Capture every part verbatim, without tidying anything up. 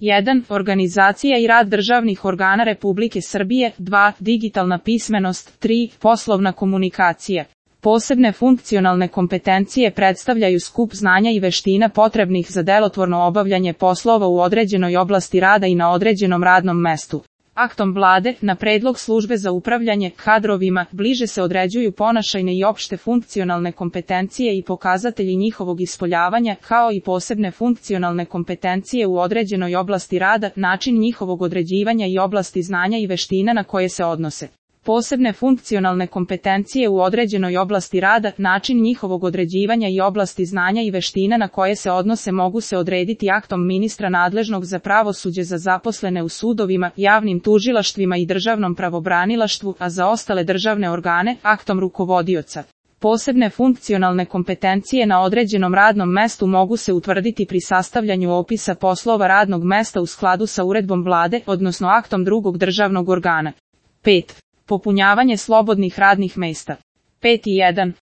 jedan. Organizacija i rad državnih organa Republike Srbije. dva. Digitalna pismenost. tri. Poslovna komunikacija. Posebne funkcionalne kompetencije predstavljaju skup znanja i veština potrebnih za delotvorno obavljanje poslova u određenoj oblasti rada i na određenom radnom mestu. Aktom Vlade, na predlog Službe za upravljanje kadrovima, bliže se određuju ponašajne i opšte funkcionalne kompetencije i pokazatelji njihovog ispoljavanja, kao i posebne funkcionalne kompetencije u određenoj oblasti rada, način njihovog određivanja i oblasti znanja i veština na koje se odnose. Posebne funkcionalne kompetencije u određenoj oblasti rada, način njihovog određivanja i oblasti znanja i veština na koje se odnose mogu se odrediti aktom ministra nadležnog za pravosuđe za zaposlene u sudovima, javnim tužilaštvima i državnom pravobranilaštvu, a za ostale državne organe, aktom rukovodioca. Posebne funkcionalne kompetencije na određenom radnom mestu mogu se utvrditi pri sastavljanju opisa poslova radnog mesta u skladu sa uredbom Vlade, odnosno aktom drugog državnog organa. pet. Popunjavanje slobodnih radnih mesta. pet jedan.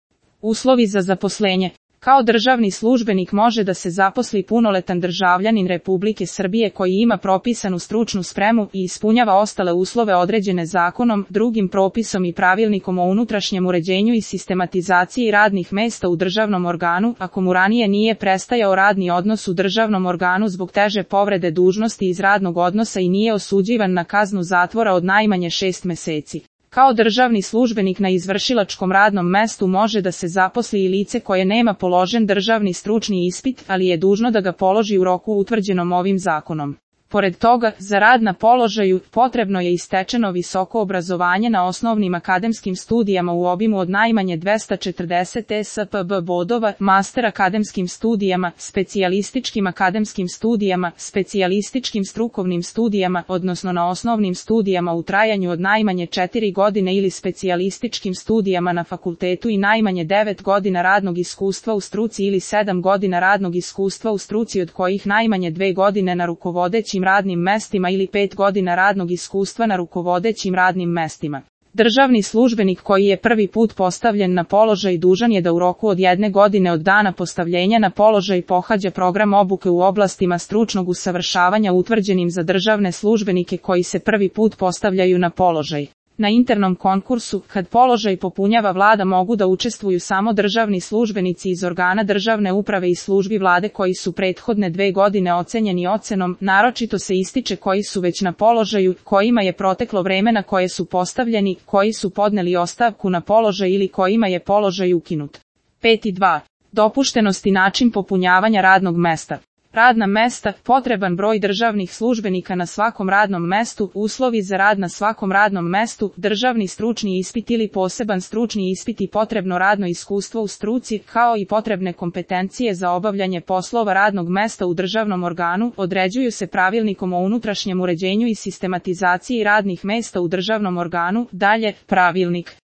Uslovi za zaposlenje. Kao državni službenik može da se zaposli punoletan državljanin Republike Srbije koji ima propisanu stručnu spremu i ispunjava ostale uslove određene zakonom, drugim propisom i pravilnikom o unutrašnjem uređenju i sistematizaciji radnih mesta u državnom organu, ako mu ranije nije prestajao radni odnos u državnom organu zbog teže povrede dužnosti iz radnog odnosa i nije osuđivan na kaznu zatvora od najmanje šest meseci. Kao državni službenik na izvršilačkom radnom mestu može da se zaposli i lice koje nema položen državni stručni ispit, ali je dužno da ga položi u roku utvrđenom ovim zakonom. Pored toga, za rad na položaju potrebno je i stečeno visoko obrazovanje na osnovnim akademskim studijama u obimu od najmanje dvesta četrdeset E S P B bodova, master akademskim studijama, specijalističkim akademskim studijama, specijalističkim strukovnim studijama, odnosno na osnovnim studijama u trajanju od najmanje četiri godine ili specijalističkim studijama na fakultetu i najmanje devet godina radnog iskustva u struci ili sedam godina radnog iskustva u struci od kojih najmanje dve godine na rukovodećim radnim mestima ili pet godina radnog iskustva na rukovodećim radnim mestima. Državni službenik koji je prvi put postavljen na položaj dužan je da u roku od jedne godine od dana postavljenja na položaj pohađa program obuke u oblastima stručnog usavršavanja utvrđenim za državne službenike koji se prvi put postavljaju na položaj. Na internom konkursu, kad položaj popunjava Vlada, mogu da učestvuju samo državni službenici iz organa državne uprave i službi Vlade koji su prethodne dve godine ocenjeni ocenom, naročito se ističe koji su već na položaju, kojima je proteklo vreme na koje su postavljeni, koji su podneli ostavku na položaj ili kojima je položaj ukinut. pet dva. Dopuštenost i način popunjavanja radnog mesta. Radna mesta, potreban broj državnih službenika na svakom radnom mestu, uslovi za rad na svakom radnom mestu, državni stručni ispit ili poseban stručni ispit i potrebno radno iskustvo u struci, kao i potrebne kompetencije za obavljanje poslova radnog mesta u državnom organu, određuju se pravilnikom o unutrašnjem uređenju i sistematizaciji radnih mesta u državnom organu. Dalje, pravilnik.